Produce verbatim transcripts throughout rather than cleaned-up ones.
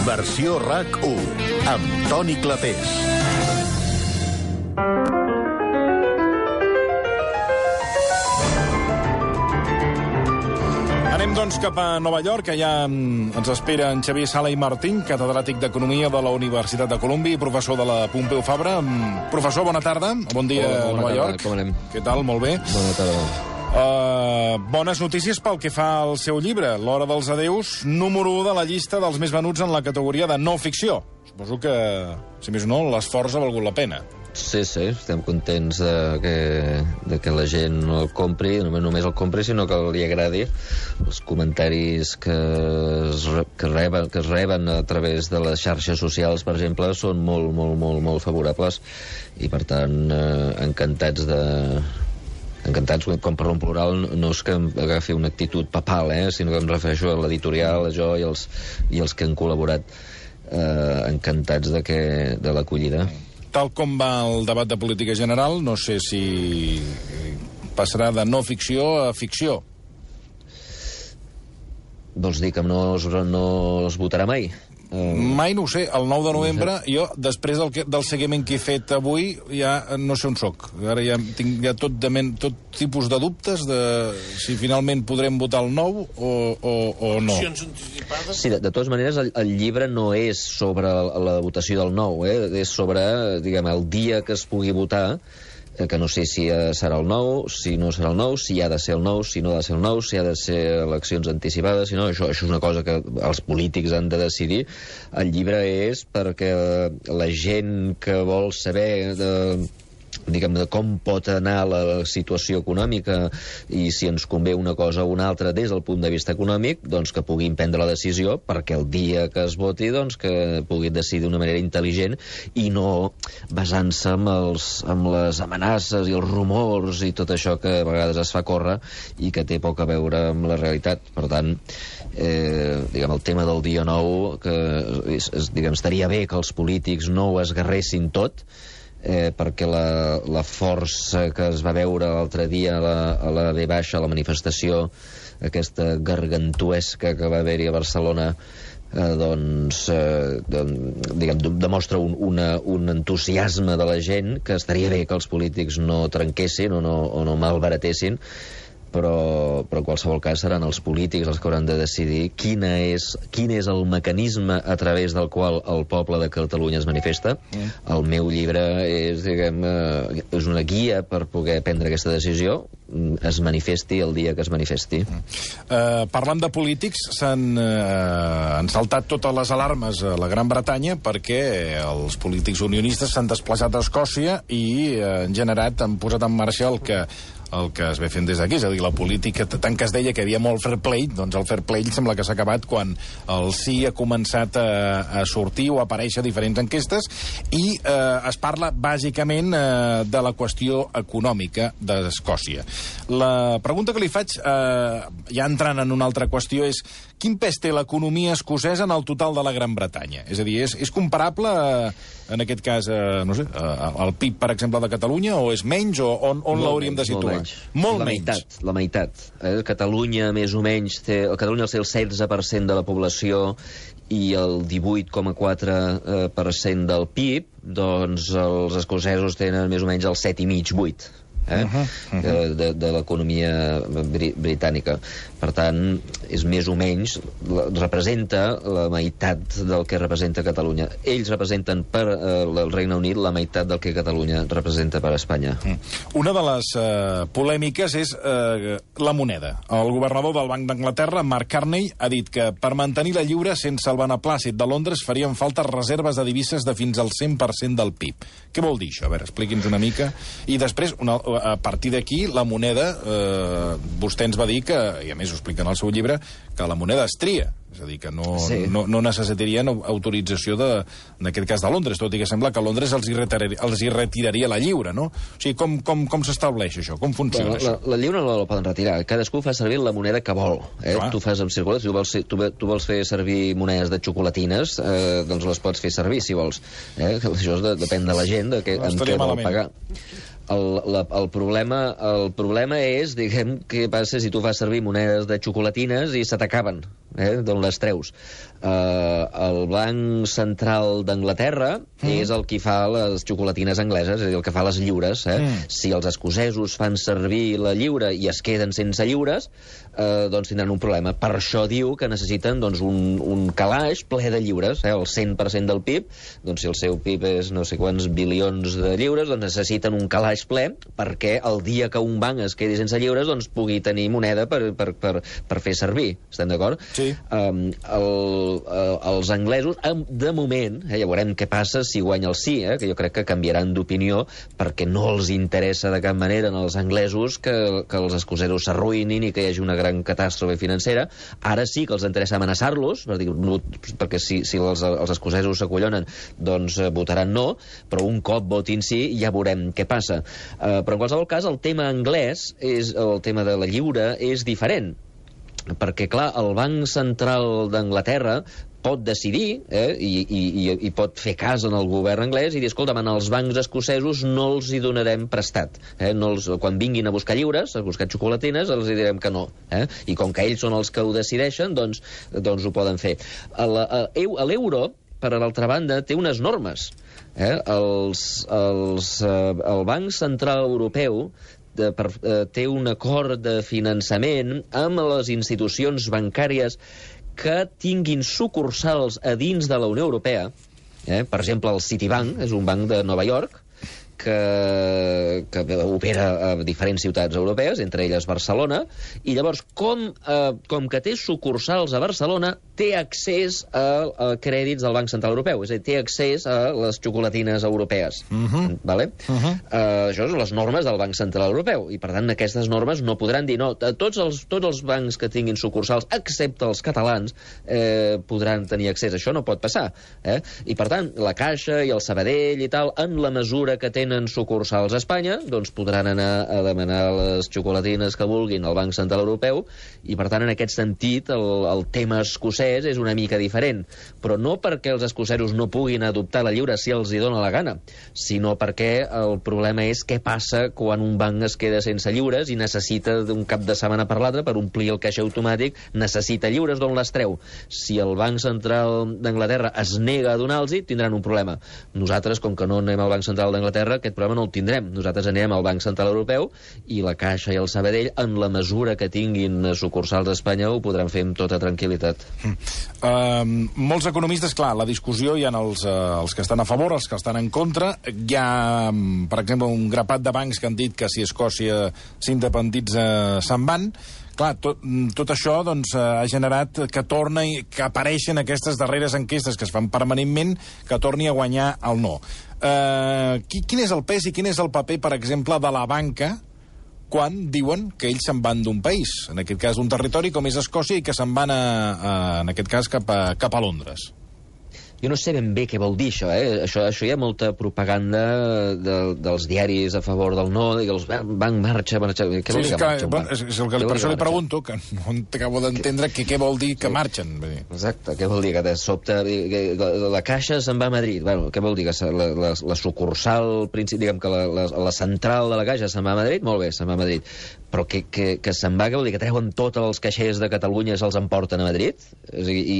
Versió RAC u, amb Toni Clapés. Anem, doncs, cap a Nova York, que ja ens espera en Xavier Sala i Martín, catedràtic d'Economia de la Universitat de Colúmbia i professor de la Pompeu Fabra. Professor, bona tarda. Bon dia, Hola, bona Nova tarda. York. Com anem? Què tal? Molt bé. Bona tarda. Uh, bones notícies pel que fa al seu llibre, L'hora dels adeus, número u de la llista dels més venuts en la categoria de no ficció. Suposo que, si més no, l'esforç ha valgut la pena. Sí, sí, estem contents de que, de que la gent no el compri, no només el compri, sinó que li agradi. Els comentaris que es, que, reben, que es reben a través de les xarxes socials, per exemple, són molt, molt, molt, molt favorables i, per tant, eh, encantats de... encantats, com per un plural, no és que agafi una actitud papal, eh, sinó que em refereixo a l'editorial, a jo i els, i els que han col·laborat, eh, encantats de, que, de l'acollida. Tal com va el debat de política general, no sé si passarà de no ficció a ficció. Vols dir que no es, no es votarà mai? Mai no ho sé. El nou de novembre, jo, després del, que, del seguiment que he fet avui, ja no sé on soc. Ara ja tinc ja tot, de men, tot tipus de dubtes de si finalment podrem votar el nou o, o, o no. Sí, de, de totes maneres, el, el llibre no és sobre la, la votació del nou, eh? És sobre, diguem, el dia que es pugui votar, que no sé si serà el nou, si no serà el nou, si ha de ser el nou, si no ha de ser el nou, si ha de ser eleccions anticipades, si no, això, això és una cosa que els polítics han de decidir. El llibre és perquè la gent que vol saber de, diguem, de com pot anar la situació econòmica i si ens convé una cosa o una altra des del punt de vista econòmic, doncs que puguin prendre la decisió perquè el dia que es voti, doncs que puguin decidir d'una manera intel·ligent i no basant-se en, els, en les amenaces i els rumors i tot això que a vegades es fa córrer i que té poc a veure amb la realitat. Per tant, eh, diguem, el tema del dia nou, que és, és, diguem, estaria bé que els polítics no ho esgarressin tot, Eh, perquè la, la força que es va veure l'altre dia a la, a la V baixa, a la manifestació, aquesta gargantuesca que va haver-hi a Barcelona, eh, doncs, eh, doncs diguem, demostra un, una, un entusiasme de la gent que estaria bé que els polítics no trenquessin o no, o no malbaratessin, però, però en qualsevol cas seran els polítics els que hauran de decidir quina és, quin és el mecanisme a través del qual el poble de Catalunya es manifesta. Mm. El meu llibre és, diguem, eh, és una guia per poder prendre aquesta decisió, es manifesti el dia que es manifesti. Mm. Uh, parlant de polítics, s'han uh, saltat totes les alarmes a la Gran Bretanya perquè els polítics unionistes s'han desplaçat a Escòcia i uh, han generat, han posat en marxa el que el que es ve fent des d'aquí, és a dir, la política, tant que es deia que hi havia molt fair play, doncs el fair play sembla que s'ha acabat quan el sí ha començat a, a sortir o a aparèixer a diferents enquestes i eh, es parla bàsicament eh, de la qüestió econòmica d'Escòcia. La pregunta que li faig, eh, ja entrant en una altra qüestió, és quin pes té l'economia escocesa en el total de la Gran Bretanya? És a dir, és, és comparable, eh, en aquest cas, eh, no sé, eh, al P I B, per exemple, de Catalunya, o és menys, o on, on l'hauríem de situar? Molt menys. Molt la menys. Meitat, la meitat. Eh? Catalunya, més o menys, té, Catalunya té el setze per cent de la població i el divuit coma quatre per cent del P I B, doncs els escocesos tenen més o menys el set i mig, vuit. Eh? Uh -huh, uh -huh. de, de l'economia bri britànica. Per tant, és més o menys, la, representa la meitat del que representa Catalunya. Ells representen per eh, el Regne Unit la meitat del que Catalunya representa per Espanya. Mm. Una de les eh, polèmiques és eh, la moneda. El governador del Banc d'Anglaterra, Mark Carney, ha dit que per mantenir la lliure sense el beneplàcit de Londres farien falta reserves de divises de fins al cent per cent del P I B. Què vol dir això? A veure, expliqui'ns una mica. I després, una, a partir d'aquí, la moneda, eh, vostè ens va dir que, i a més ho explica en el seu llibre, que la moneda es tria. És a dir, que no, sí. no, no necessitarien autorització de, en aquest cas de Londres, tot i que sembla que Londres els hi retiraria, els hi retiraria la lliure, no? O sigui, com, com, com s'estableix això? Com funciona bueno, això? La, la lliure no la poden retirar. Cadascú fa servir la moneda que vol. Eh? Tu fas amb circular, si tu vols, tu, tu vols fer servir monedes de xocolatines, eh, doncs les pots fer servir, si vols. Eh? Això de, depèn de la gent, de què, no, en què vol pagar. El, la, el, problema, el problema és, diguem, què passa si tu fas servir monedes de xocolatines i se t'acaben. eh, d'on les treus. Uh, el Banc Central d'Anglaterra mm. és el que fa les xocolatines angleses, és a dir, el que fa les lliures. Eh? Mm. Si els escocesos fan servir la lliura i es queden sense lliures, uh, doncs tindran un problema. Per això diu que necessiten doncs, un, un calaix ple de lliures, eh? El cent per cent del P I B, doncs si el seu P I B és no sé quants bilions de lliures, doncs necessiten un calaix ple perquè el dia que un banc es quedi sense lliures doncs pugui tenir moneda per, per, per, per fer servir. Estem d'acord? Sí. Um, el Uh, els anglesos, de moment, eh, ja veurem què passa si guanya el sí, eh, que jo crec que canviaran d'opinió perquè no els interessa de cap manera als anglesos que, que els escocesos s'arruïnin i que hi hagi una gran catàstrofe financera. Ara sí que els interessa amenaçar-los, per dir, no, perquè si, si els, els escocesos s'acollonen, doncs eh, votaran no, però un cop votin sí ja veurem què passa. Uh, però en qualsevol cas, el tema anglès, és, el tema de la lliure, és diferent. Perquè, clar, el Banc Central d'Anglaterra pot decidir eh, i, i, i pot fer cas en el govern anglès i dir, escolta, als bancs escocesos no els hi donarem prestat. Eh? No els, quan vinguin a buscar lliures, a buscar xocolatines, els hi direm que no. Eh? I com que ells són els que ho decideixen, doncs, doncs ho poden fer. L'euro, per l'altra banda, té unes normes. Eh? Els, els, eh, el Banc Central Europeu De, per, eh, té un acord de finançament amb les institucions bancàries que tinguin sucursals a dins de la Unió Europea. Eh? Per exemple, el Citibank és un banc de Nova York que, que opera a diferents ciutats europees, entre elles Barcelona, i llavors, com, eh, com que té sucursals a Barcelona, té accés a, a crèdits del Banc Central Europeu, és a dir, té accés a les xocolatines europees. Uh-huh. Vale? Uh-huh. Uh, això són les normes del Banc Central Europeu, i per tant aquestes normes no podran dir no. Tots els, tots els bancs que tinguin sucursals, excepte els catalans, eh, podran tenir accés. Això no pot passar. Eh? I per tant, la Caixa i el Sabadell i tal, en la mesura que tenen sucursals a Espanya, doncs podran anar a demanar les xocolatines que vulguin al Banc Central Europeu, i per tant, en aquest sentit, el, el tema escocès és una mica diferent, però no perquè els escocesos no puguin adoptar la lliure si els hi dona la gana, sinó perquè el problema és què passa quan un banc es queda sense lliures i necessita d'un cap de setmana per l'altre per omplir el caix automàtic, necessita lliures, d'on les treu? Si el Banc Central d'Anglaterra es nega a donar-los, tindran un problema. Nosaltres, com que no anem al Banc Central d'Anglaterra, aquest problema no el tindrem. Nosaltres anem al Banc Central Europeu i la Caixa i el Sabadell, en la mesura que tinguin sucursals a Espanya, ho podran fer amb tota tranquil·litat. Mm. Uh, molts economistes, clar, la discussió hi ha els, uh, els que estan a favor, els que estan en contra. Hi ha, per exemple, un grapat de bancs que han dit que si Escòcia s'independitza se'n van. Clar, tot, tot això doncs, ha generat que torni, que apareixen aquestes darreres enquestes que es fan permanentment, que torni a guanyar el no. Uh, quin és el pes i quin és el paper, per exemple, de la banca quan diuen que ells se'n van d'un país, en aquest cas d'un territori com és Escòcia, i que se'n van, a, a, en aquest cas, cap a, cap a Londres? Jo no sé ben bé què vol dir això, eh? Això, això hi ha molta propaganda de, dels diaris a favor del no, i els banc marxa, marxa... Què vol sí, dir que, que marxa? Bon, és, és el que, per això li pregunto, que no acabo d'entendre que, què vol dir que sí. marxen. Exacte, què vol dir? Que de sobte que la Caixa se'n va a Madrid. Bueno, què vol dir? Que la, la, la sucursal, diguem que la, la, la central de la Caixa se'n va a Madrid? Molt bé, se'n va a Madrid. Però que, que, que se'n va, què vol dir? Que treuen tots els caixers de Catalunya i se'ls emporten a Madrid? És a dir, i,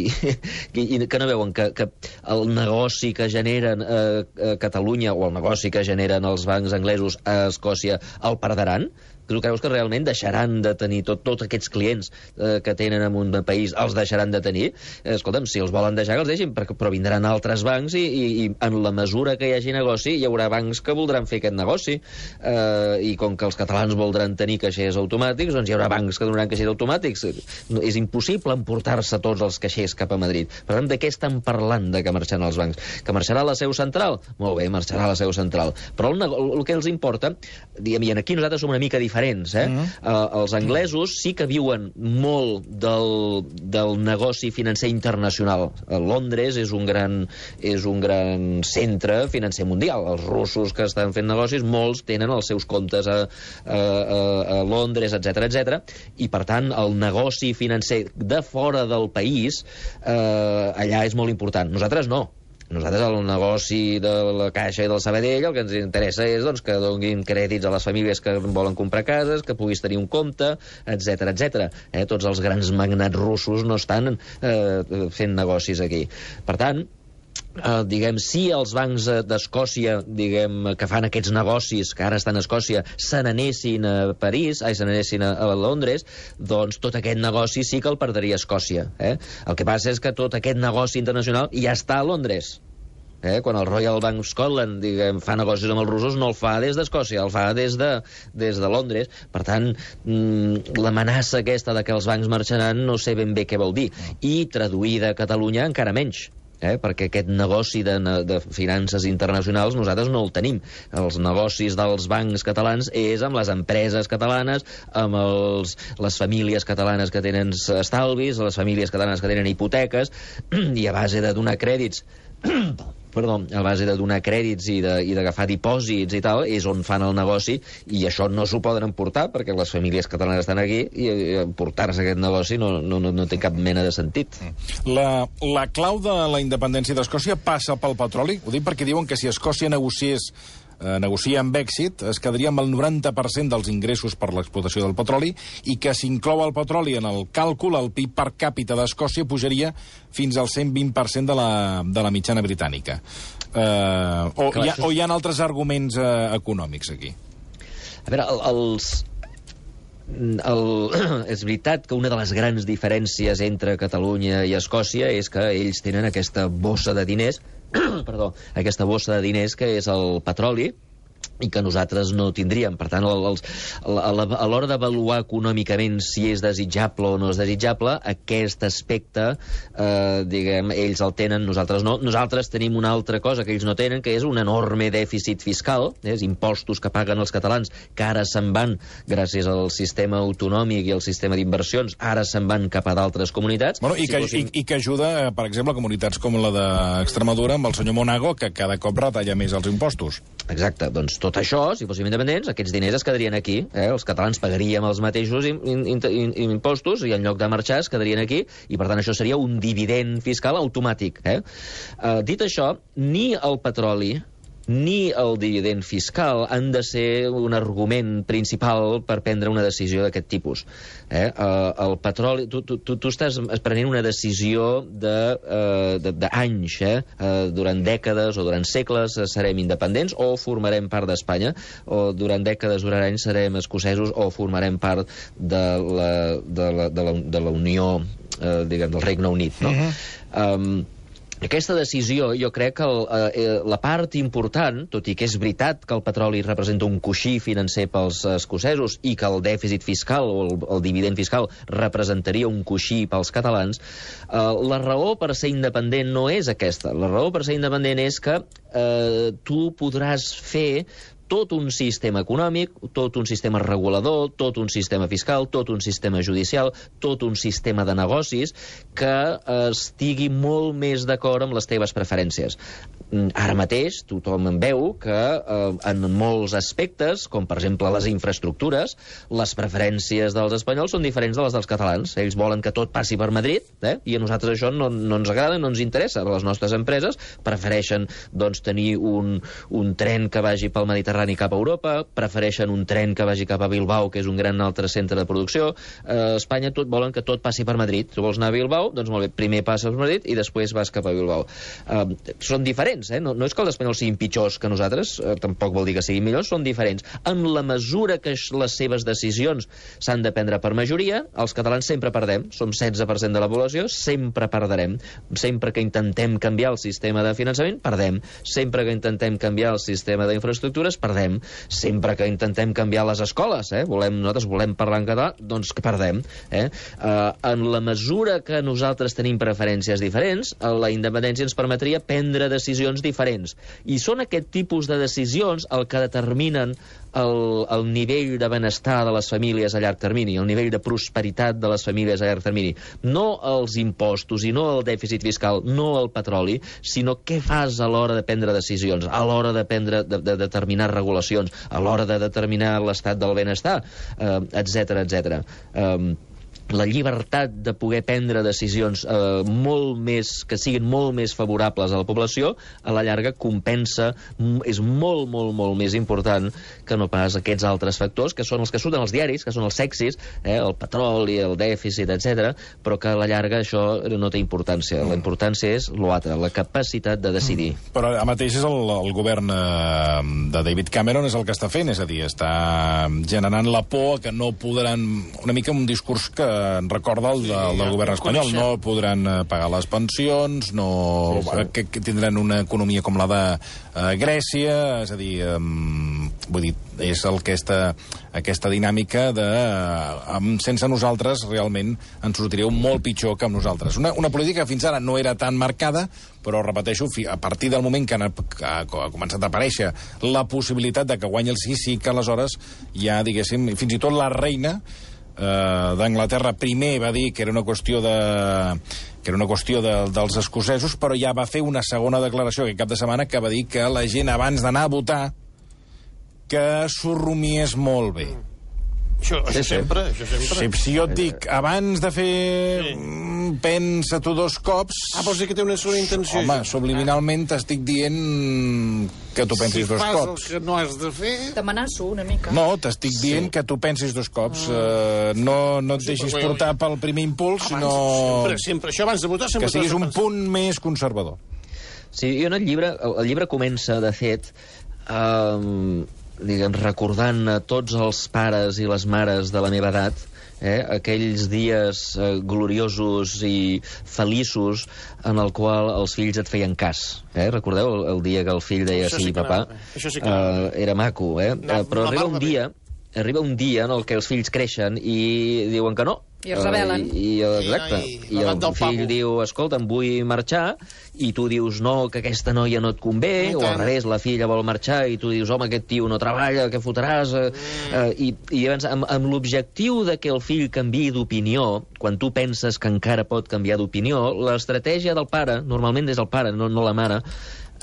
i, i que no veuen que, que el negoci que generen a, a Catalunya o el negoci que generen els bancs anglesos a Escòcia el perdran? Tu creus que realment deixaran de tenir tot, tots aquests clients eh, que tenen en un país, els deixaran de tenir? Eh, escolta'm, si els volen deixar, que els deixin, però vindran altres bancs i, i, i en la mesura que hi hagi negoci, hi haurà bancs que voldran fer aquest negoci. Eh, I com que els catalans voldran tenir caixers automàtics, doncs hi haurà bancs que donaran caixers automàtics. És impossible emportar-se tots els caixers cap a Madrid. Per tant, de què estan parlant de que marxaran els bancs? Que marxarà la seu central? Molt bé, marxarà la seu central. Però el, el, el que els importa, diguem, i aquí nosaltres som una mica diferents, diferents, eh? Mm. Uh, els anglesos sí que viuen molt del, del negoci financer internacional. A Londres és un gran, és un gran centre financer mundial. Els russos que estan fent negocis, molts tenen els seus comptes a, a, a Londres, etcètera, etcètera. I, per tant, el negoci financer de fora del país, eh, allà és molt important. Nosaltres no. Nosaltres, el negoci de la Caixa i del Sabadell, el que ens interessa és doncs, que donin crèdits a les famílies que volen comprar cases, que puguis tenir un compte, etc etcètera. Eh? Tots els grans magnats russos no estan eh, fent negocis aquí. Per tant, Uh, diguem, si els bancs d'Escòcia, diguem, que fan aquests negocis, que ara estan a Escòcia, se n'anessin a París, ai, se n'anessin a, a Londres, doncs tot aquest negoci sí que el perdria Escòcia. Eh? El que passa és que tot aquest negoci internacional ja està a Londres. Eh? Quan el Royal Bank of Scotland, diguem, fa negocis amb els russos, no el fa des d'Escòcia, el fa des de, des de Londres. Per tant, mmm, l'amenaça aquesta de que els bancs marxaran no sé ben bé què vol dir. I traduïda a Catalunya encara menys. Eh, perquè aquest negoci de, de finances internacionals nosaltres no el tenim. Els negocis dels bancs catalans és amb les empreses catalanes, amb els, les famílies catalanes que tenen estalvis, les famílies catalanes que tenen hipoteques, i a base de donar crèdits perdó, a base de donar crèdits i d'agafar dipòsits i tal, és on fan el negoci, i això no s'ho poden emportar, perquè les famílies catalanes estan aquí, i emportar-se aquest negoci no, no, no té cap mena de sentit. La, la clau de la independència d'Escòcia passa pel petroli? Ho dic perquè diuen que si Escòcia negociés eh, negocia amb èxit, es quedaria amb el noranta per cent dels ingressos per l'explotació del petroli, i que si inclou el petroli en el càlcul, el P I B per càpita d'Escòcia pujaria fins al cent vint per cent de la, de la mitjana britànica. Eh, o, Clar, hi ha, o hi ha altres arguments eh, econòmics aquí? A veure, el, els... El, és veritat que una de les grans diferències entre Catalunya i Escòcia és que ells tenen aquesta bossa de diners perdó, aquesta bossa de diners que és el petroli, i que nosaltres no tindríem. Per tant, els, a l'hora d'avaluar econòmicament si és desitjable o no és desitjable, aquest aspecte, eh, diguem, ells el tenen, nosaltres no. Nosaltres tenim una altra cosa que ells no tenen, que és un enorme dèficit fiscal, eh, impostos que paguen els catalans, que ara se'n van, gràcies al sistema autonòmic i al sistema d'inversions, ara se'n van cap a d'altres comunitats. Bueno, i, si que, fossin... i, I que ajuda, per exemple, comunitats com la d'Extremadura, amb el senyor Monago, que cada cop retalla més els impostos. Exacte, doncs tot això, si fóssim independents, aquests diners es quedarien aquí. Eh? Els catalans pagaríem els mateixos in, in, in, in, impostos i en lloc de marxar es quedarien aquí, i per tant això seria un dividend fiscal automàtic. Eh? Uh, dit això, ni el petroli ni el dividend fiscal han de ser un argument principal per prendre una decisió d'aquest tipus. Eh? Uh, el petroli... Tu, tu, tu, tu estàs prenent una decisió d'anys, de, uh, de, eh? Uh, durant dècades o durant segles serem independents o formarem part d'Espanya, o durant dècades, durant anys serem escocesos o formarem part de la, de la, de la, de la Unió, uh, diguem, del Regne Unit, no? Uh-huh. Um, Aquesta decisió, jo crec que el, eh, la part important, tot i que és veritat que el petroli representa un coixí financer pels escocesos i que el dèficit fiscal o el, el dividend fiscal representaria un coixí pels catalans, eh, la raó per ser independent no és aquesta. La raó per ser independent és que eh, tu podràs fer tot un sistema econòmic, tot un sistema regulador, tot un sistema fiscal, tot un sistema judicial, tot un sistema de negocis que estigui molt més d'acord amb les teves preferències. Ara mateix tothom en veu que eh, en molts aspectes, com per exemple les infraestructures, les preferències dels espanyols són diferents de les dels catalans. Ells volen que tot passi per Madrid, eh? I a nosaltres això no, no ens agrada, no ens interessa. Les nostres empreses prefereixen doncs, tenir un, un tren que vagi pel Mediterrani cap a Europa, prefereixen un tren que vagi cap a Bilbao, que és un gran altre centre de producció. A Espanya tot volen que tot passi per Madrid. Tu vols anar a Bilbao? Doncs molt bé, primer passes per Madrid i després vas cap a Bilbao. Uh, són diferents, eh? No, no és que els espanyols siguin pitjors que nosaltres, eh, tampoc vol dir que siguin millors, són diferents. En la mesura que les seves decisions s'han de prendre per majoria, els catalans sempre perdem. Som setze per cent de la població, sempre perdrem. Sempre que intentem canviar el sistema de finançament, perdem. Sempre que intentem canviar el sistema d'infraestructures, perdem. Sempre que intentem canviar les escoles, eh? volem, nosaltres volem parlar en català, doncs que perdem. Eh? Uh, en la mesura que nosaltres tenim preferències diferents, la independència ens permetria prendre decisions diferents. I són aquest tipus de decisions el que determinen el, el nivell de benestar de les famílies a llarg termini, el nivell de prosperitat de les famílies a llarg termini. No els impostos i no el dèficit fiscal, no el petroli, sinó què fas a l'hora de prendre decisions, a l'hora de, prendre, de, de determinar regulacions, a l'hora de determinar l'estat del benestar, eh, etcètera, etcètera. Eh, la llibertat de poder prendre decisions eh, molt més, que siguin molt més favorables a la població, a la llarga compensa, és molt, molt, molt més important que no pas aquests altres factors, que són els que surten als diaris, que són els sexis, eh, el petroli, el dèficit, etcètera, però que a la llarga això no té importància. La importància és l'altre, la capacitat de decidir. Però ara mateix és el, el govern eh, de David Cameron és el que està fent, és a dir, està generant la por que no podran... Una mica un discurs que en recorda el, de, el del govern espanyol. No podran pagar les pensions, no sí, sí. Que, que tindran una economia com la de uh, Grècia, és a dir, um, vull dir, és el que aquesta, aquesta dinàmica de uh, um, sense nosaltres realment ens sortiríeu molt pitjor que amb nosaltres. Una, una política que fins ara no era tan marcada, però, repeteixo, a partir del moment que ha, que ha començat a aparèixer la possibilitat de que guanyi el sí, sí que aleshores ja, diguéssim, fins i tot la reina Uh, d'Anglaterra primer va dir que era una qüestió de que era una qüestió de, dels escocesos, però ja va fer una segona declaració aquest cap de setmana que va dir que la gent abans d'anar a votar que s'ho rumiés molt bé. Això, això sí, sempre, això sempre. Si, si jo et dic, abans de fer... Sí. Pensa tu dos cops... Ah, vols dir que té una segona intenció? Home, subliminalment t'estic dient que tu pensis si dos cops. Si cops. fas el que no has de fer... T'amenaço una mica. No, t'estic dient sí. que tu pensis dos cops. Ah. Uh, no, no et deixis portar pel primer impuls, abans, sinó... Sempre, sempre. Això abans de votar... Sempre que siguis un punt més conservador. Sí, jo en el llibre... El llibre comença, de fet... Um, diguem, recordant a tots els pares i les mares de la meva edat, eh, aquells dies eh, gloriosos i feliços en el qual els fills et feien cas. Eh? Recordeu el, el dia que el fill deia això sí, sí papà? Això sí que uh, era maco, eh? No, uh, però no, arriba no, un dia... Arriba un dia en el què els fills creixen i diuen que no. I es rebel·len. Uh, i, exacte. I, I, I el fill diu, escolta, em vull marxar, i tu dius, no, que aquesta noia no et convé, o al revés, la filla vol marxar, i tu dius, home, aquest tio no treballa, què fotràs? Uh, mm. uh, I, i llavors, amb, amb l'objectiu de que el fill canviï d'opinió, quan tu penses que encara pot canviar d'opinió, l'estratègia del pare, normalment és el pare, no, no la mare,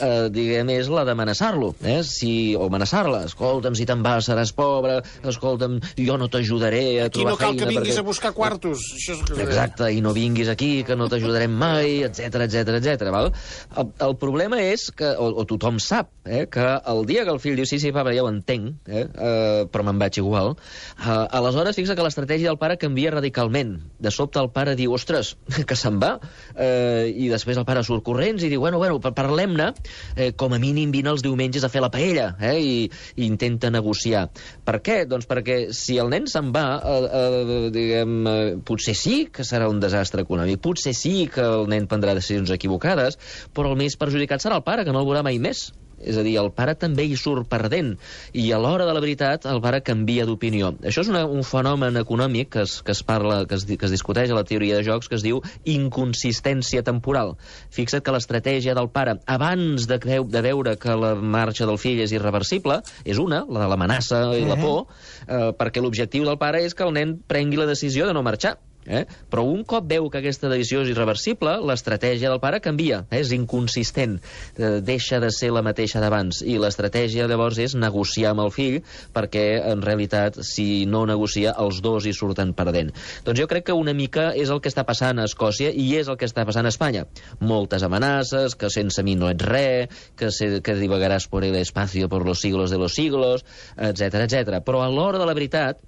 Uh, diguem, és la d'amenaçar-lo, eh? Si, o amenaçar-la, escolta'm, si te'n vas seràs pobre, escolta'm, jo no t'ajudaré a aquí trobar feina... Aquí no cal que vinguis perquè... a buscar quartos. Això és que... Exacte, i no vinguis aquí, que no t'ajudarem mai, etc etc etc. val? El, el problema és que, o, o tothom sap, eh, que el dia que el fill diu, sí, sí, papa, ja ho entenc, eh, uh, però me'n vaig igual, uh, aleshores fixa que l'estratègia del pare canvia radicalment. De sobte el pare diu, ostres, que se'n va, uh, i després el pare surt corrents i diu, bueno, bueno, parlem-ne, Eh, com a mínim vine els diumenges a fer la paella, eh, i, i intenta negociar. Per què? Doncs perquè si el nen se'n va, eh, eh, diguem, eh, potser sí que serà un desastre econòmic, potser sí que el nen prendrà decisions equivocades, però el més perjudicat serà el pare, que no el veurà mai més. És a dir, el pare també hi surt perdent, i a l'hora de la veritat el pare canvia d'opinió. Això és una, un fenomen econòmic que es, que es parla, que es, que es discuteix a la teoria de jocs, que es diu inconsistència temporal. Fixa't que l'estratègia del pare, abans de, de veure que la marxa del fill és irreversible, és una, la de l'amenaça i la por, eh, perquè l'objectiu del pare és que el nen prengui la decisió de no marxar. Eh? Però un cop veu que aquesta decisió és irreversible, l'estratègia del pare canvia, eh? És inconsistent, eh, deixa de ser la mateixa d'abans, i l'estratègia llavors és negociar amb el fill, perquè en realitat si no negocia els dos hi surten perdent. Doncs jo crec que una mica és el que està passant a Escòcia i és el que està passant a Espanya. Moltes amenaces, que sense mi no ets res, que, se, que divagaràs por el espacio por los siglos de los siglos, etc etc. Però a l'hora de la veritat,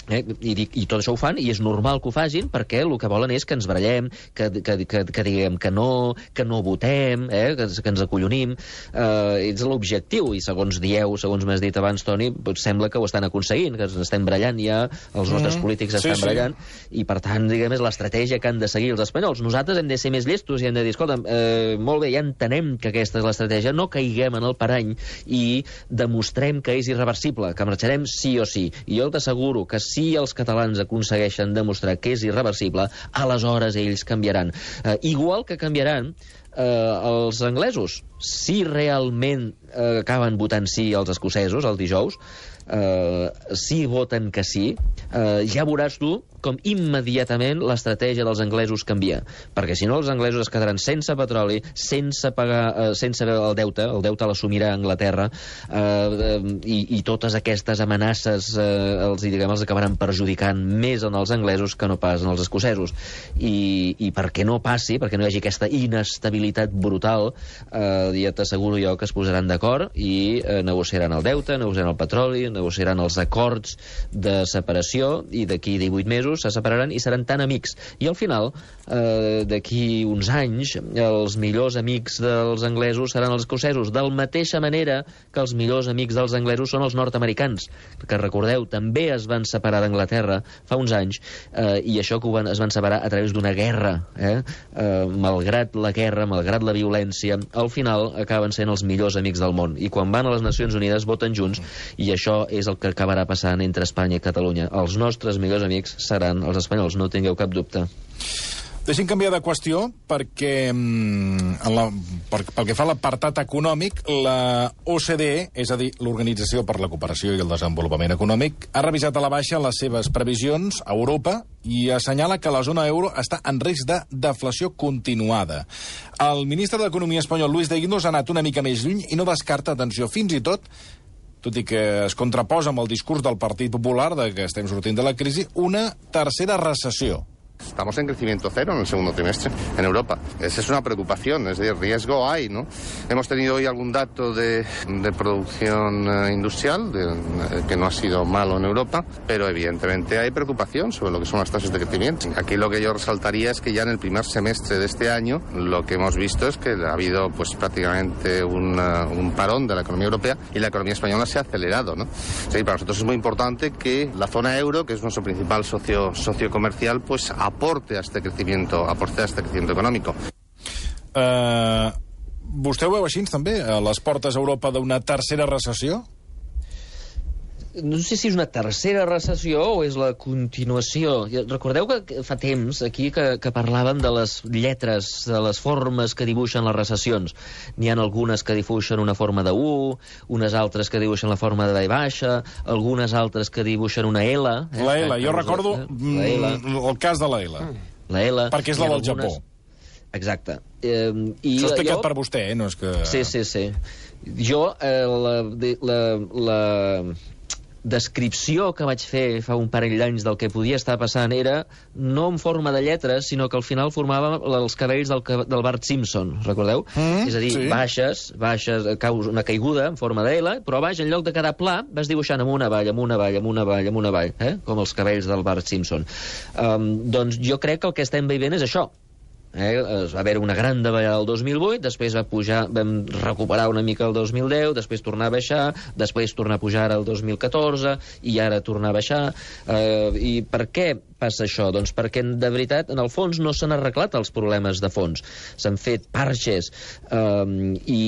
Eh, i, i tot això ho fan, i és normal que ho facin, perquè el que volen és que ens barallem, que, que, que, que diguem que no, que no votem, eh, que, que ens acollonim. Eh, és l'objectiu, i segons dieu, segons m'has dit abans, Toni, sembla que ho estan aconseguint, que ens estem barallant ja, els nostres mm, polítics estan sí, barallant, sí. I per tant, diguem, és l'estratègia que han de seguir els espanyols. Nosaltres hem de ser més llestos i hem de dir, escolta, eh, molt bé, ja entenem que aquesta és l'estratègia, no caiguem en el parany i demostrem que és irreversible, que marxarem sí o sí. I jo t'asseguro que si els catalans aconsegueixen demostrar que és irreversible, aleshores ells canviaran. Eh, igual que canviaran eh, els anglesos. Si realment eh, acaben votant sí els escocesos el dijous, eh, si voten que sí, eh, ja veuràs tu com immediatament l'estratègia dels anglesos canvia. Perquè si no, els anglesos es quedaran sense petroli, sense pagar, eh, sense el deute, el deute l'assumirà Anglaterra, eh, eh, i, i totes aquestes amenaces eh, els, diguem, els acabaran perjudicant més en els anglesos que no pas en els escocesos. I, i perquè no passi, perquè no hi hagi aquesta inestabilitat brutal, eh, ja t'asseguro jo que es posaran d'acord i eh, negociaran el deute, negociaran el petroli, negociaran els acords de separació, i d'aquí divuit mesos se separaran i seran tan amics. I al final, eh, d'aquí uns anys, els millors amics dels anglesos seran els escocesos, de la mateixa manera que els millors amics dels anglesos són els nord-americans, que recordeu, també es van separar d'Anglaterra fa uns anys, eh, i això que van, es van separar a través d'una guerra. Eh? Eh, malgrat la guerra, malgrat la violència, al final acaben sent els millors amics del món. I quan van a les Nacions Unides voten junts, i això és el que acabarà passant entre Espanya i Catalunya. Els nostres millors amics seran els espanyols, no tingueu cap dubte. Deixem canviar de qüestió perquè, en la, per, pel que fa a l'apartat econòmic, la O C D E, és a dir, l'Organització per la Cooperació i el Desenvolupament Econòmic, ha revisat a la baixa les seves previsions a Europa i assenyala que la zona euro està en risc de deflació continuada. El ministre d'Economia espanyol, Luis de Guindos, ha anat una mica més lluny i no descarta, atenció, fins i tot, tot i que es contraposa amb el discurs del Partit Popular de que estem sortint de la crisi, una tercera recessió. Estamos en crecimiento cero en el segundo trimestre en Europa. Esa es una preocupación, es decir, riesgo hay, ¿no? Hemos tenido hoy algún dato de, de producción eh, industrial de, eh, que no ha sido malo en Europa, pero evidentemente hay preocupación sobre lo que son las tasas de crecimiento. Aquí lo que yo resaltaría es que ya en el primer semestre de este año lo que hemos visto es que ha habido pues prácticamente un, uh, un parón de la economía europea y la economía española se ha acelerado, ¿no? Es decir, para nosotros es muy importante que la zona euro, que es nuestro principal socio, socio comercial, pues aporte a este crecimiento, aporte a este crecimiento económico. Uh, vostè ho veu així, també, a les portes a Europa d'una tercera recessió? No sé si és una tercera recessió o és la continuació. Recordeu que fa temps aquí que, que parlàvem de les lletres, de les formes que dibuixen les recessions. N'hi ha algunes que dibuixen una forma de U, unes altres que dibuixen la forma de V baixa, algunes altres que dibuixen una L. Eh? La L, jo recordo la L. el cas de la L. La L. Perquè és la del algunes... Japó. Exacte. Eh, i Això explicat jo... per vostè, eh? No és que... Sí, sí, sí. Jo, eh, la... la, la descripció que vaig fer fa un parell d'anys del que podia estar passant era no en forma de lletres, sinó que al final formava els cabells del, del Bart Simpson, recordeu? Mm, és a dir, sí. baixes, baixes, caus una caiguda en forma de L, però baix, en lloc de cada pla, vas dibuixant amunt, avall, amunt, avall, amunt, avall, amunt, avall, eh? Com els cabells del Bart Simpson. Um, doncs jo crec que el que estem veient és això. Eh, es va haver una gran davallada el dos mil vuit, després va pujar, vam recuperar una mica el dos mil deu, després tornar a baixar, després tornar a pujar el dos mil catorze i ara tornar a baixar. Eh, I per què passa això? Doncs perquè, de veritat, en el fons no s'han arreglat els problemes de fons. S'han fet parxes eh, i,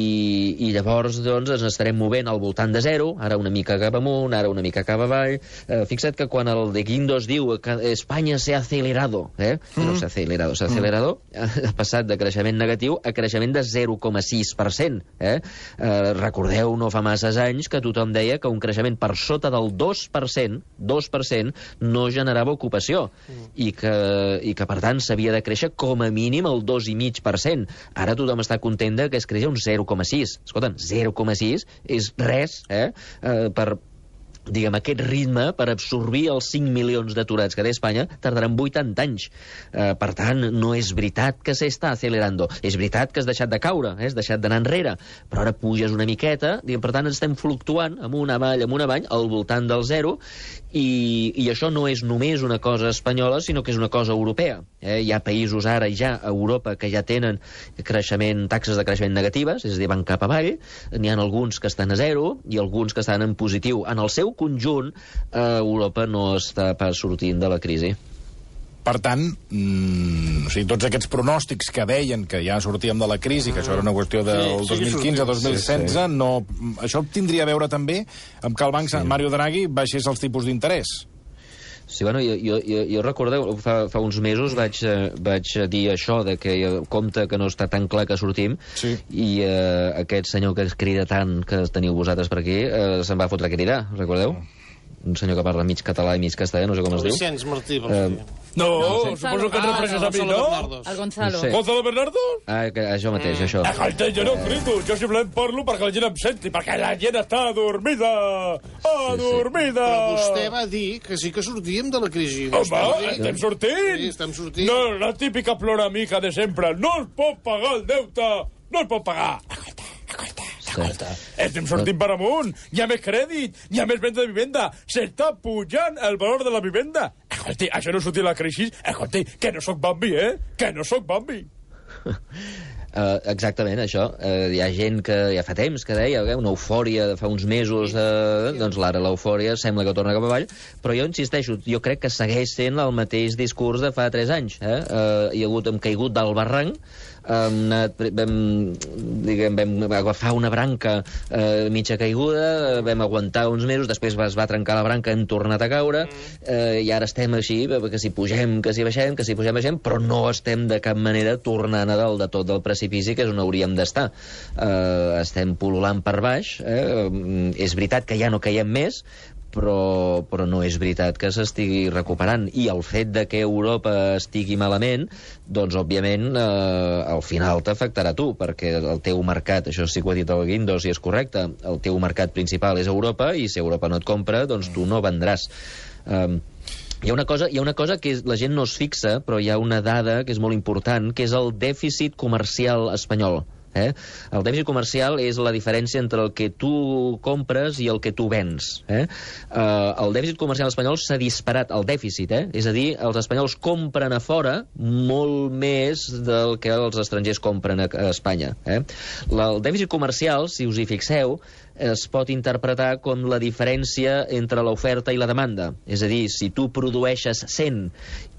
i llavors doncs, ens estarem movent al voltant de zero, ara una mica cap amunt, ara una mica cap avall. Eh, fixa't que quan el de Guindos diu que Espanya s'ha acelerado, eh? Mm. no s'ha acelerado, s'ha acelerado, ha passat de creixement negatiu a creixement de zero coma sis per cent. Eh? Eh, recordeu, no fa masses anys, que tothom deia que un creixement per sota del dos per cent, dos per cent no generava ocupació, mm. i, que, i que, per tant, s'havia de créixer com a mínim el dos coma cinc per cent. Ara tothom està content que es creixi un zero coma sis. Escolta'm, zero coma sis és res, eh? Eh, per... diguem, aquest ritme per absorbir els cinc milions d'aturats que té Espanya tardaran vuitanta anys. Eh, per tant, no és veritat que s'està acelerando. És veritat que has deixat de caure, eh? has deixat d'anar enrere, però ara puges una miqueta, diguem, per tant, estem fluctuant amunt, avall, amunt, avall, al voltant del zero, i, i això no és només una cosa espanyola, sinó que és una cosa europea. Eh? Hi ha països ara ja a Europa que ja tenen creixement, taxes de creixement negatives, és a dir, van cap avall, n'hi ha alguns que estan a zero i alguns que estan en positiu. En el seu conjunt, eh, Europa no està pas sortint de la crisi. Per tant, mmm, o sigui, tots aquests pronòstics que deien que ja sortíem de la crisi, que això era una qüestió del sí, dos mil quinze a dos mil setze, sí, sí. No, això tindria a veure també amb que el banc sí. Mario Draghi baixés els tipus d'interès. Sí, bueno, jo, jo, jo, jo recordeu, fa, fa uns mesos vaig, eh, vaig dir això, de que compte que no està tan clar que sortim, sí. i eh, aquest senyor que es crida tant que teniu vosaltres per aquí, eh, se'n va fotre a cridar, recordeu? un senyor que parla mig català i mig castellà, no sé com es diu. Vicenç Martí, vols Eh, dir. No, No, suposo que et ah, refereixes a mi, Gonzalo no? Bernardos. El Gonzalo. No sé. Gonzalo Bernardo? Ah, que, això mateix, això. Escolta, jo no crito, jo simplement parlo perquè la gent em senti, perquè la gent està adormida, adormida. Però vostè va dir que sí que sortíem de la crisi. Home, estem sortint. Sí, estem sortint. No, la típica ploramica de sempre. No es pot pagar el deute, no es pot pagar. Escolta, escolta, escolta. Estem sortint per amunt. Hi ha més crèdit, hi ha més venda de vivenda. S'està pujant el valor de la vivenda. Escolta, això no sortir la crisi. Escolta, que no sóc Bambi, eh? Que no sóc Bambi. Uh, exactament, això. Uh, hi ha gent que ja fa temps que deia eh, una eufòria de fa uns mesos, uh, doncs l'ara l'eufòria sembla que torna cap avall, però jo insisteixo, jo crec que segueix sent el mateix discurs de fa tres anys. Eh? Uh, hi ha hagut, hem caigut del barranc, hem anat, vam, diguem, vam agafar una branca eh, mitja caiguda, vam aguantar uns mesos, després es va trencar la branca, hem tornat a caure, eh, i ara estem així, que si pugem, que si baixem, que si pugem, baixem, però no estem de cap manera tornant a dalt de tot del precipici, que és on hauríem d'estar. Eh, estem pul·lulant per baix, eh, és veritat que ja no caiem més, però, però no és veritat que s'estigui recuperant. I el fet de que Europa estigui malament, doncs, òbviament, eh, al final t'afectarà a tu, perquè el teu mercat, això sí que ho ha dit el Guindos i és correcte, el teu mercat principal és Europa, i si Europa no et compra, doncs tu no vendràs. Eh, Hi ha una cosa, hi ha una cosa que la gent no es fixa, però hi ha una dada que és molt important, que és el dèficit comercial espanyol. Eh? El dèficit comercial és la diferència entre el que tu compres i el que tu vens. Eh? Uh, el dèficit comercial espanyol s'ha disparat, el dèficit, eh? És a dir, els espanyols compren a fora molt més del que els estrangers compren a, a Espanya. Eh? La, el dèficit comercial, si us hi fixeu, es pot interpretar com la diferència entre l'oferta i la demanda. És a dir, si tu produeixes cent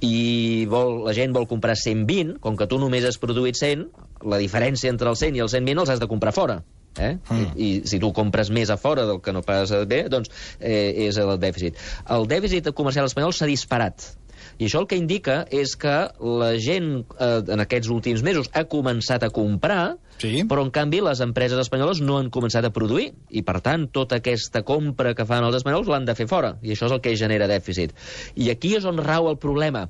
i vol, la gent vol comprar cent vint, com que tu només has produït cent, la diferència entre el cent i el cent vint els has de comprar fora. Eh? Mm. I, I si tu compres més a fora del que no pas bé, doncs eh, és el dèficit. El dèficit comercial espanyol s'ha disparat. I això el que indica és que la gent eh, en aquests últims mesos ha començat a comprar, sí, però en canvi les empreses espanyoles no han començat a produir, i per tant tota aquesta compra que fan els espanyols l'han de fer fora, i això és el que genera dèficit. I aquí és on rau el problema.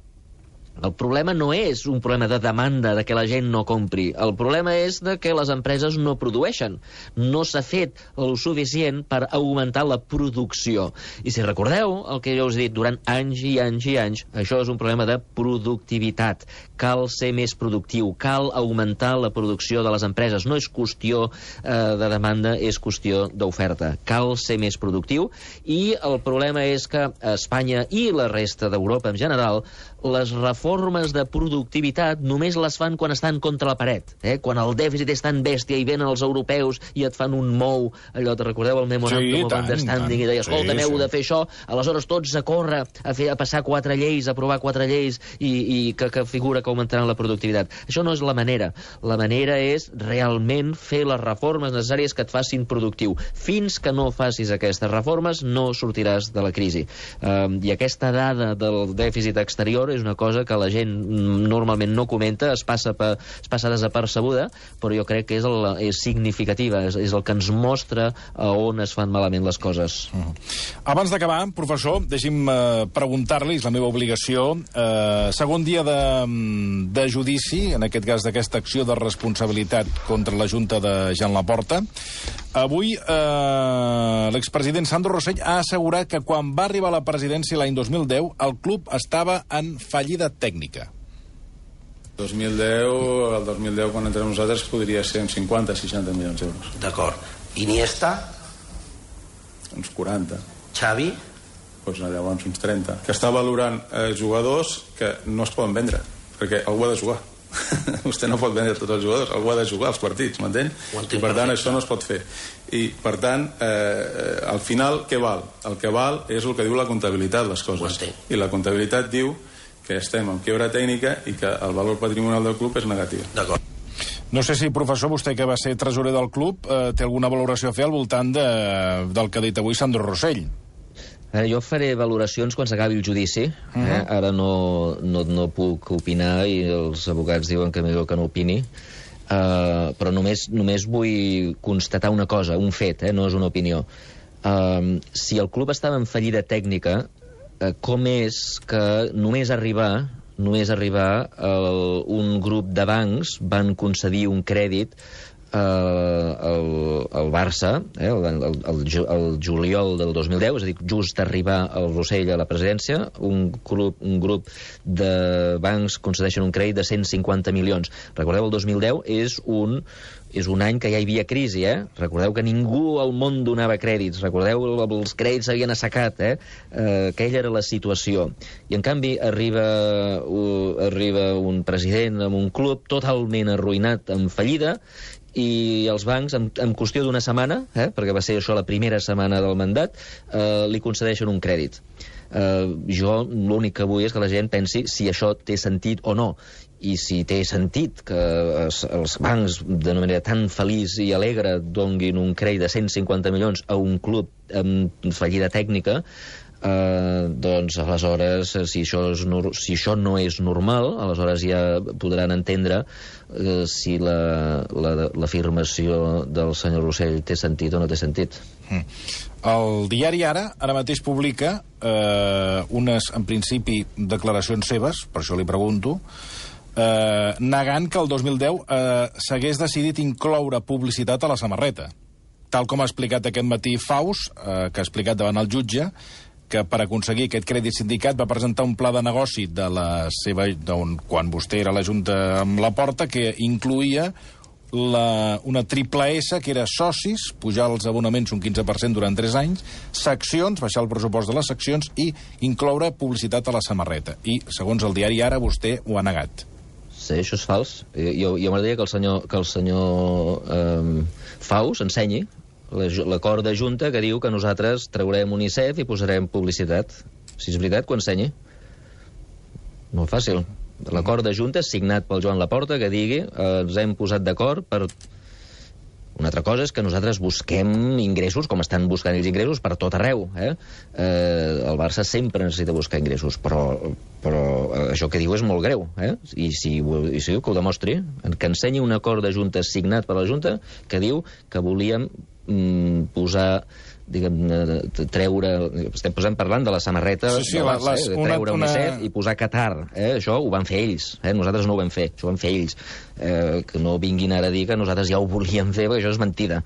El problema no és un problema de demanda, de que la gent no compri. El problema és de que les empreses no produeixen. No s'ha fet el suficient per augmentar la producció. I si recordeu el que jo us he dit durant anys i anys i anys, això és un problema de productivitat. Cal ser més productiu, cal augmentar la producció de les empreses. No és qüestió eh, de demanda, és qüestió d'oferta. Cal ser més productiu, i el problema és que a Espanya i la resta d'Europa en general, les reformes de productivitat només les fan quan estan contra la paret, eh? Quan el dèficit és tan bèstia i venen els europeus i et fan un mou, allò, te recordeu el memorandum Sí, of tant, understanding, tant. i deia, escolta, Sí, heu sí. de fer això, aleshores tots a córrer a, fer, a passar quatre lleis, a aprovar quatre lleis i, i que, que figura que augmentaran la productivitat. Això no és la manera. La manera és realment fer les reformes necessàries que et facin productiu. Fins que no facis aquestes reformes no sortiràs de la crisi. Um, I aquesta dada del dèficit exterior és una cosa que la gent normalment no comenta, es passa, per, es passa desapercebuda, però jo crec que és, el, és significativa, és, és el que ens mostra a on es fan malament les coses. Uh-huh. Abans d'acabar, professor, deixi'm uh, preguntar-li, és la meva obligació, uh, segon dia de, de judici, en aquest cas d'aquesta acció de responsabilitat contra la Junta de Jean Laporta. Avui eh, l'expresident Sandro Rosell ha assegurat que quan va arribar a la presidència l'any dos mil deu el club estava en fallida tècnica. dos mil deu, el dos mil deu, quan entrem nosaltres, podria ser uns cinquanta seixanta milions d'euros. D'acord. Iniesta? Uns quaranta. Xavi? Doncs llavors uns trenta. Que està valorant eh, jugadors que no es poden vendre, perquè algú ha de jugar. Vostè no pot vendre tots els jugadors, algú ha de jugar els partits, m'entén? I per tant això no es pot fer. I per tant, eh, al final què val? El que val és el que diu la comptabilitat, les coses. I la comptabilitat diu que estem en quiebra tècnica i que el valor patrimonial del club és negatiu. D'acord. No sé si, professor, vostè que va ser tresorer del club eh, té alguna valoració a fer al voltant de, del que ha dit avui Sandro Rosell. Ara, jo faré valoracions quan s'acabi el judici. Uh -huh. eh? Ara no, no, no puc opinar i els advocats diuen que millor que no opini. Uh, però només, només vull constatar una cosa, un fet, eh? No és una opinió. Uh, si el club estava en fallida tècnica, uh, com és que només arribar, només arribar uh, un grup de bancs van concedir un crèdit uh, al, al Barça, eh, el, el, el, el juliol del dos mil deu, és a dir, just arribar al Rossell a la presidència, un grup, un grup de bancs concedeixen un crèdit de cent cinquanta milions. Recordeu, el dos mil deu és un... és un any que ja hi havia crisi, eh? Recordeu que ningú al món donava crèdits. Recordeu que els crèdits s'havien assecat, eh? eh? Aquella era la situació. I, en canvi, arriba, uh, arriba un president amb un club totalment arruïnat, en fallida, i els bancs, en, en qüestió d'una setmana, eh? perquè va ser això la primera setmana del mandat, eh, li concedeixen un crèdit. Uh, jo l'únic que vull és que la gent pensi si això té sentit o no, i si té sentit que els, els bancs de manera tan feliç i alegre donguin un crèdit de cent cinquanta milions a un club amb fallida tècnica, Uh, doncs aleshores si això, és, si això no és normal, aleshores ja podran entendre uh, si l'afirmació la, del senyor Rossell té sentit o no té sentit. Mm. El diari Ara ara mateix publica eh, unes, en principi, declaracions seves, per això li pregunto, eh, negant que el dos mil deu eh, s'hagués decidit incloure publicitat a la samarreta, tal com ha explicat aquest matí Faus, eh, que ha explicat davant el jutge que per aconseguir aquest crèdit sindicat va presentar un pla de negoci de la seva, on, quan vostè era a la Junta amb la Porta, que incluïa la, una triple S, que era socis, pujar els abonaments un quinze per cent durant tres anys, seccions, baixar el pressupost de les seccions i incloure publicitat a la samarreta. I, segons el diari Ara, vostè ho ha negat. Sí, això és fals. Jo, jo m'agradaria que el senyor, que el senyor eh, Faus ensenyi l'acord de Junta que diu que nosaltres traurem UNICEF i posarem publicitat. Si és veritat, que ho ensenyi. Molt fàcil. L'acord de Junta signat pel Joan Laporta que digui eh, ens hem posat d'acord per... Una altra cosa és que nosaltres busquem ingressos, com estan buscant els ingressos, per tot arreu. Eh? Eh, el Barça sempre necessita buscar ingressos, però, però això que diu és molt greu. Eh? I si, i si diu que ho demostri, que ensenyi un acord de Junta signat per la Junta que diu que volíem mm, posar, diguem, treure... Estem posant parlant de la samarreta sí, sí, de Barça, les, eh? de una, treure una... UNICEF i posar Qatar. Eh? Això ho van fer ells. Eh? Nosaltres no ho vam fer. Això ho van fer ells. Eh, que no vinguin ara a dir que nosaltres ja ho volíem fer, perquè això és mentida.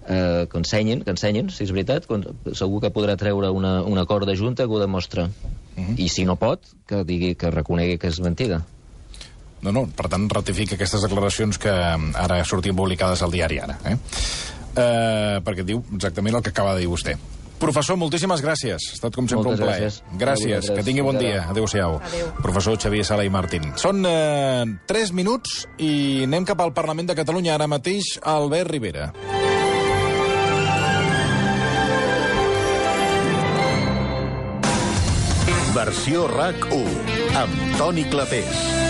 Eh, que ensenyin, que ensenyin, si és veritat, segur que podrà treure una, un acord de Junta que ho demostra. Uh -huh. I si no pot, que digui, que reconegui que és mentida. No, no, per tant, ratifica aquestes declaracions que ara sortien publicades al diari Ara, eh? Eh, perquè diu exactament el que acaba de dir vostè. Professor, moltíssimes gràcies. Ha estat, com sempre, Moltes un plaer. Gràcies. Gràcies. Que tingui bon dia. Adéu-siau. Adéu. Professor Xavier Sala i Martín. Són eh, tres minuts i anem cap al Parlament de Catalunya ara mateix. Albert Rivera. Versió RAC u amb Toni Clapés.